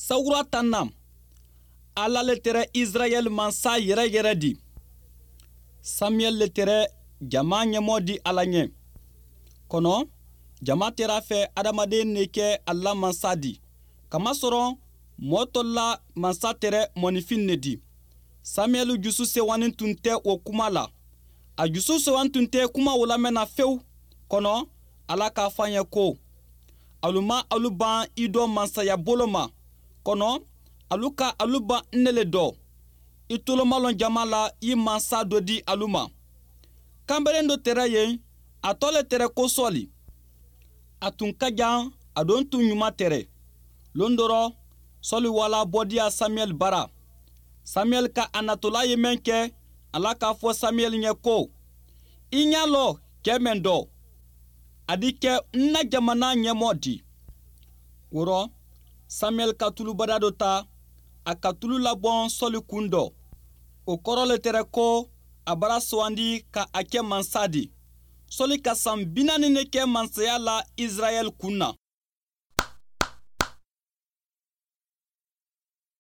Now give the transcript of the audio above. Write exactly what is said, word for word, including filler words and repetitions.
Sawura tanna. Alla le tere isirayeli mansa yere-yere di. Samiyeli le tere jamaa ñemoo di alla ñe. Kono jamaa tere a fe adamaden ne ke alla mansa di. Kamasoro moo tolu la mansa tere monifiŋ ne di. Samiyeli jusu sewanintunte wo kuma la. A jusu sewanintunte kuma wo lamena few. Kono alla ka a fo a ñe ko, alu ma alu baŋ i do mansaya bolo ma. Kono alu ka alu baŋ n ne le do. I tolomaloŋ jamaa la i mansa do di alu ma. Kambereŋ do tere ye a to le tere ko soli. A tun kajaŋ a doŋ tun ñuma tere. Londoro soli wala bodiya samiyeli bara. Samiyeli ka a natolaa ye meŋ ke alla ka a fo samiyeli ñe ko, i ña lo ke meŋ do a di ke n na jamanaa ñemoo di. Woro samiyeli ka tulu badaa do taa a ka tulu laboŋ soli kuŋ do. Wo koro le tere ko a bara sowandi ka a ke mansa di. Soli ka saŋ binaani ne ke mansayaa la isirayeli kuŋ na.